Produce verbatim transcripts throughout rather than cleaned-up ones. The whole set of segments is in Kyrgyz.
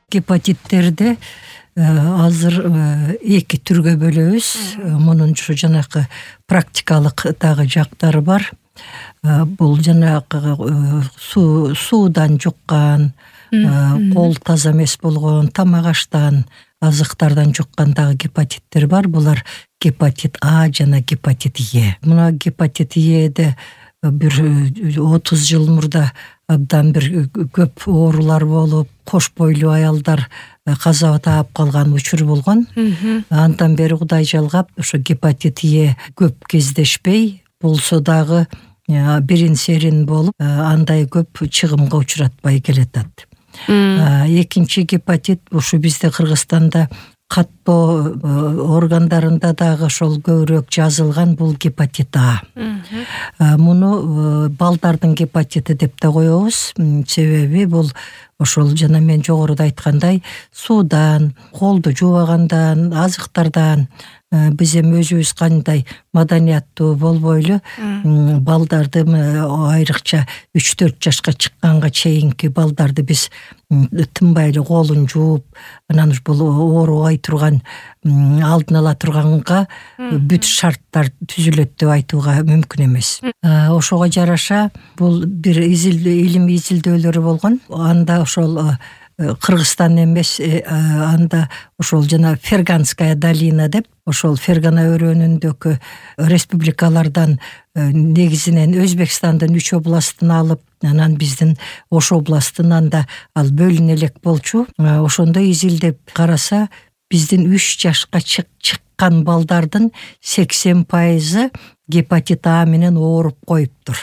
Гепатиттерди азыр эки түргө бөлөбүз. Мунун ушу жанакы практикалык дагы жактары бар. Бул жанагы суу суудан жуккан, кол таза эмес болгон, тамак аштан, азыктардан жуккан дагы гепатиттер бар. Булар гепатит А жана гепатит Е. Мына гепатит Эде бир отуз жыл мурда абдан бир көп оорулар болуп, кош бойлуу аялдар каза таап калган учур болгон. Андан бери Кудай жалгап, ошо гепатит Е көп кездешпей, болсо дагы бирин серин болуп, андай көп чыгымга учуратпай келатат. Экинчи гепатит ушу бизде Кыргызстанда каттоо органдарында дагы ошол көбүрөөк жазылган, бул гепатит А. Муну балдардын гепатити деп да коебуз. Себеби бул ошол жана мен жогоруда айткандай суудан, колду жуубагандан, азыктардан, биз эми өзүбүз кандай маданияттуу болбойлу балдарды, айрыкча үч төрт жашка чыкканга чейинки балдарды биз тынбай эле колун жууп, анан бул оорубай турган, алдын ала турганга бүт шарттар түзүлөт деп айтууга мүмкүн эмес. Ошого жараша бул бир илим изилдөөлөрү болгон. Анда ошол Кыргызстан эмес, анда ошол жана Ферганская долина деп, ошол Фергана өрөөнүндөгү республикалардан, негизинен Өзбекстандын үч областын алып, анан биздин Ош областынан да ал бөлүнө элек болчу. Ошондо изилдеп караса, биздин үч жашка чыккан балдардын сексен пайызы гепатит А менен ооруп коюптур.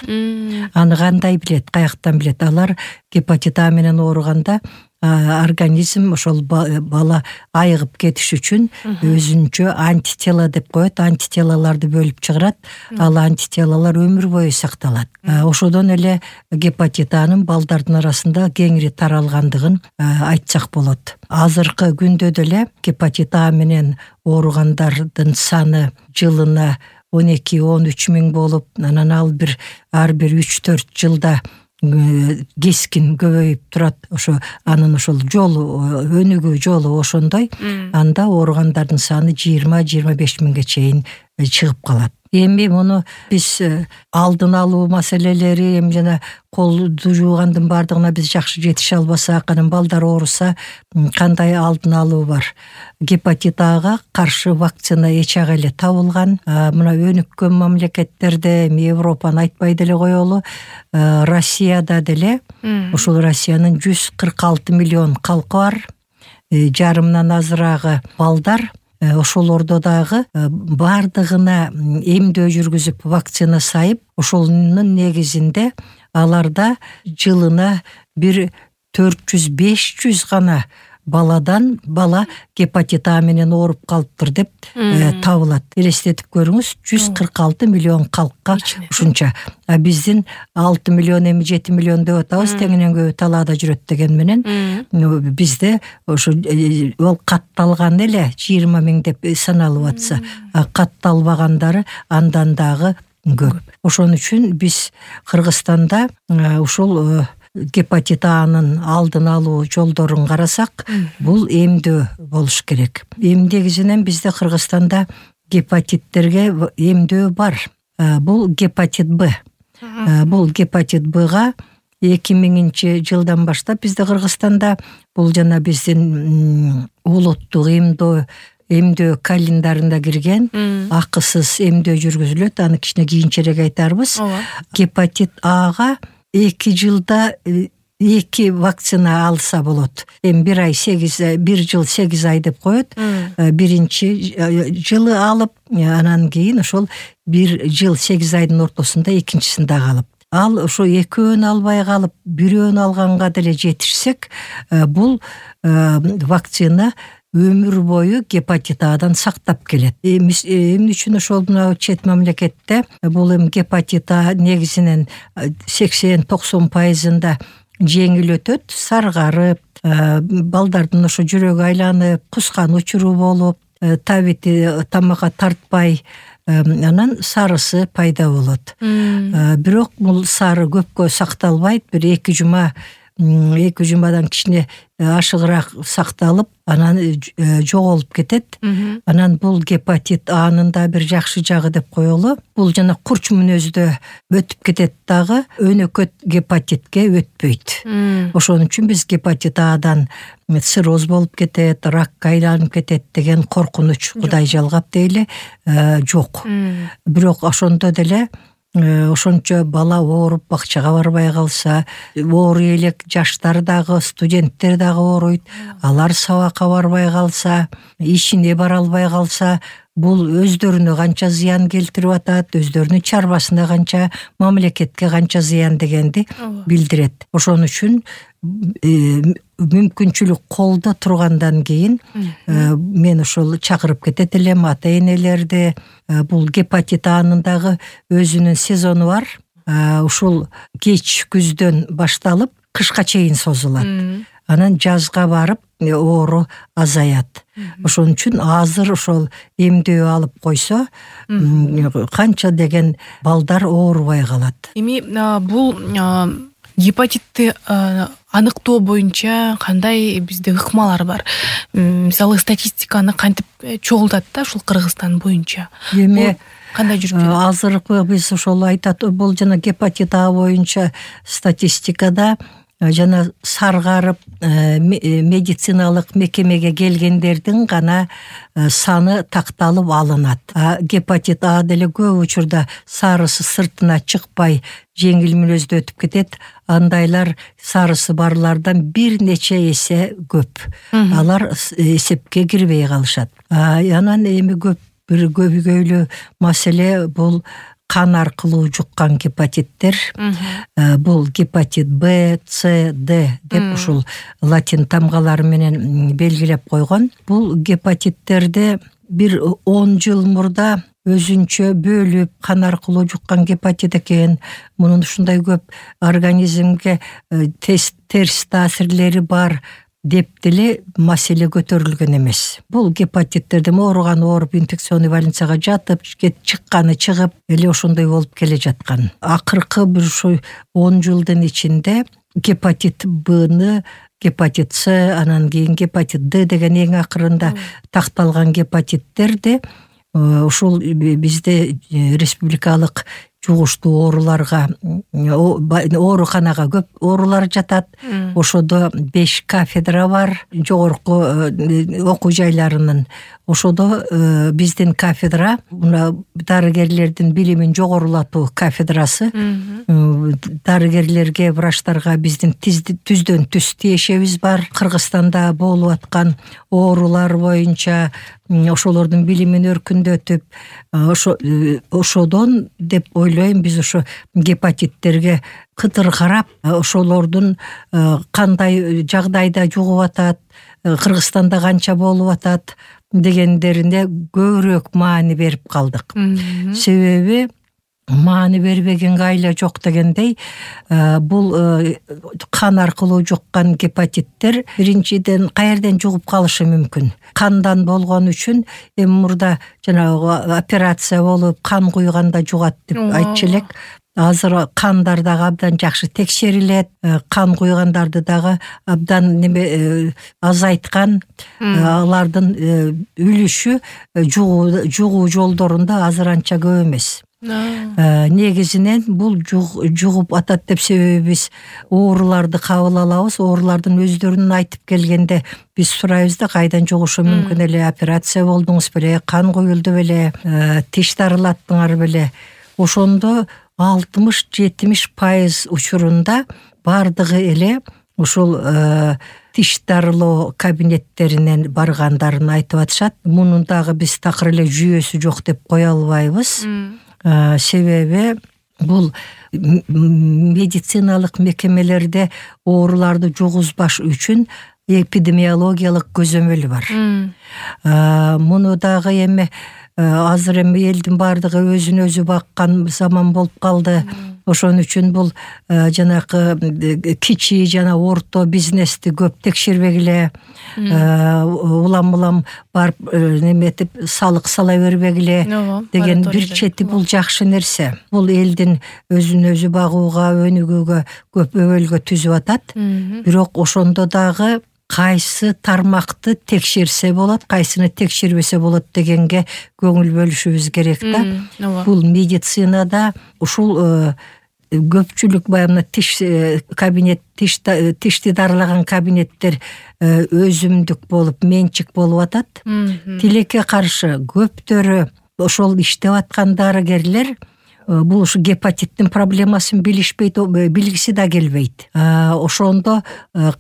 Аны кандай билет, каяктан билет? Алар гепатит А менен ооруганда организм ошол бала айыгып кетиш үчүн өзүнчө антитела деп коет, антителаларды бөлүп чыгарат. Ал антителалар өмүр бою сакталат. Ошодон эле гепатит Анын балдардын арасында кеңири таралгандыгын айтсак болот. Азыркы күндө деле гепатит А менен ооругандардын саны жылына он эки он үч миң болуп, анан ал бир ар бир үч төрт жылда кескин көбөйүп турат. Ошо анын ошол жолу, өнүгүү жолу ошондой. Анда ооругандардын саны жыйырма жыйырма беш миңге чейин чыгып калат. Эми муну биз алдын алуу маселелери, эми жана колду жуугандын бардыгына биз жакшы жетише албасак, анан балдар ооруса кандай алдын алуу бар? Гепатит Ага каршы вакцина эч ага эле табылган. Мына өнүккөн мамлекеттерде, Европаны айтпай деле коелу, Россияда деле, ошол Россиянын жүз кырк алты миллион калкы бар, жарымдан азыраагы балдар. Ошолордо дагы бардыгына эмдөө жүргүзүп, вакцина сайып, ошонун негизинде аларда жылына бир төрт жүз беш жүз гана баладан бала гепатит А менен ооруп калыптыр деп табылат. Элестетип көрүңүз, жүз кырк алты миллион калкка ушунча. А биздин алты миллион эми жети миллион деп атабыз, теңинен көбү талаада жүрөт деген менен бизде ошо ол катталган эле жыйырма миң деп саналып атса, катталбагандары андан дагы көп. Ошон үчүн биз Кыргызстанда ушул гепатит Анын алдын алуу жолдорун карасак, бул эмдөө болуш керек. Эмдегизинен бизде Кыргызстанда гепатиттерге эмдөө бар. Бул гепатит Б. Бул гепатит Бга эки миңинчи жылдан баштап бизде Кыргызстанда бул жана биздин улуттук эмдөө эмдөө календарында кирген, акысыз эмдөө жүргүзүлөт. Аны кичине кийинчерээк айтарбыз. Гепатит Ага эки жылда эки вакцина алса болот. Эми бир ай сегиз, бир жыл сегиз ай деп коет. Биринчи жылы алып, анан кийин ошол бир жыл сегиз айдын ортосунда экинчисин дагы алып. Ал ошо экөөнү албай калып, бирөөнү алганга деле жетишсек, бул вакцина өмүр бою гепатит Адан сактап келет. Эмне үчүн ошол мына чет мамлекетте бул эми гепатит А негизинен сексен токсон пайызында жеңил өтөт, саргарып, балдардын ошо жүрөгү айланып, кускан учуру болуп, табити тамакка тартпай, анан сарысы пайда болот. Бирок бул сары көпкө сакталбайт, бир эки жума эки жумадан кичине ашыгыраак сакталып анан жоголуп кетет. Анан бул гепатит Анын да бир жакшы жагы деп коелу. Бул жана курч мүнөздө өтүп кетет дагы, өнөкөт гепатитке өтпөйт. Ошон үчүн биз гепатит Адан цирроз болуп кетет, ракка айланып кетет деген коркунуч Кудай жалгап дейли жок. Бирок ошондо деле ошончо бала ооруп бакчага барбай калса, ооруй элек жаштар дагы, студенттер дагы ооруйт, алар сабакка барбай калса, ишине бара албай калса, бул өздөрүнө канча зыян келтирип атат, өздөрүнүн чарбасына канча, мамлекетке канча зыян дегенди билдирет. Ошон үчүн мүмкүнчүлүк колдо тургандан кийин мен ошол чакырып кетет элем ата энелерди. Бул гепатит Анын дагы өзүнүн сезону бар. Ушул кеч күздөн башталып кышка чейин созулат. Анан жазга барып оору азаят. Ошон үчүн азыр ошол эмдөө алып койсо, канча деген балдар оорубай калат. Эми бул гепатитти аныктоо боюнча кандай бизде ыкмалар бар? Мисалы статистиканы кантип чогултат да ушул Кыргызстан боюнча? Эми кандай жүрүп жатат? Азыркы биз ошол айтат, бул жана гепатит А боюнча статистикада жана саргарып медициналык мекемеге келгендердин гана саны такталып алынат. Гепатит А деле көп учурда сарысы сыртына чыкпай жеңил мүнөздө өтүп кетет. Андайлар сарысы барлардан бир нече эсе көп. Алар эсепке кирбей калышат. Анан эми көп бир көбүгөйлүү маселе бул кан аркылуу жуккан гепатиттер. Бул гепатит Б, С, Д деп ушул латин тамгалары менен белгилеп койгон. Бул гепатиттерде бир он жыл мурда өзүнчө бөлүп кан аркылуу жуккан гепатит экен. Мунун ушундай көп организмге терс таасирлери бар деп деле маселе көтөрүлгөн эмес. Бул гепатиттерде ооруган ооруп инфекционный больницага жатып, чыкканы чыгып, эле ошондой болуп келе жаткан. Акыркы бир ушу он жылдын ичинде гепатит Бны, гепатит С, анан кийин гепатит Д деген эң акырында такталган гепатиттерди ушул бизде республикалык жугуштуу ооруларга, ооруканага көп оорулар жатат. Ошодо беш кафедра бар, жогорку окуу жайларынын. Ошодо биздин кафедра, дарыгерлердин билимин жогорулатуу кафедрасы. Дарыгерлерге, врачтарга биздин түздөн түз тиешебиз бар. Кыргызстанда болуп аткан оорулар боюнча ошолордун билимин өркүндөтүп, ошодон деп ойлойм биз ошо гепатиттерге кытыр карап, ошолордун кандай жагдайда жугуп атат, Кыргызстанда канча болуп атат дегендерине көбүрөөк маани берип калдык. Себеби маани бербегенге айла жок дегендей, бул кан аркылуу жуккан гепатиттер биринчиден каерден жугуп калышы мүмкүн. Кандан болгон үчүн эми мурда жанагы операция болуп кан куйганда жугат деп айтчу элек. Азыр кандар дагы абдан жакшы текшерилет, кан куйгандарды дагы абдан неме азайткан, алардын үлүшү жугуу жолдорунда азыр анча көп эмес. Негизинен бул жугуп атат деп себебибиз ооруларды кабыл алабыз. Оорулардын өздөрүнүн айтып келгенде биз сурайбыз да, кайдан жугушу мүмкүн эле, операция болдуңуз беле, кан куюлду беле, тиш дарылаттыңар беле. Ошондо алтымыш жетимиш пайыз учурунда бардыгы эле ушул тиш дарылоо кабинеттеринен баргандарын айтып атышат. Мунун дагы биз такыр эле жүйөсү жок деп кое албайбыз. Себеби бул медициналык мекемелерде ооруларды жугузбаш үчүн эпидемиологиялык көзөмөл бар. Муну дагы эми азыр эми элдин бардыгы өзүн өзү баккан заман болуп калды. Ошон үчүн бул жанагы кичи жана орто бизнести көп текшербегиле, улам улам барып неметип салык сала бербегиле деген бир чети бул жакшы нерсе. Бул элдин өзүн өзү багууга, өнүгүүгө көп өбөлгө түзүп атат. Бирок ошондо дагы кайсы тармакты текшерсе болот, кайсыны текшербесе болот дегенге көңүл бөлүшүбүз керек да. Бул медицинада ушул көпчүлүк баягы тиш кабинет, тиш тишти дарылаган кабинеттер өзүмдүк болуп, менчик болуп атат. Тилекке каршы көптөрү ошол иштеп аткан дарыгерлер бул ушу гепатиттин проблемасын билишпейт, билгиси да келбейт. Ошондо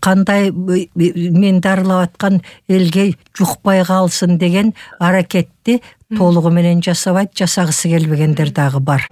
кандай мен дарылап аткан элге жукпай калсын деген аракетти толугу менен жасабайт, жасагысы келбегендер дагы бар.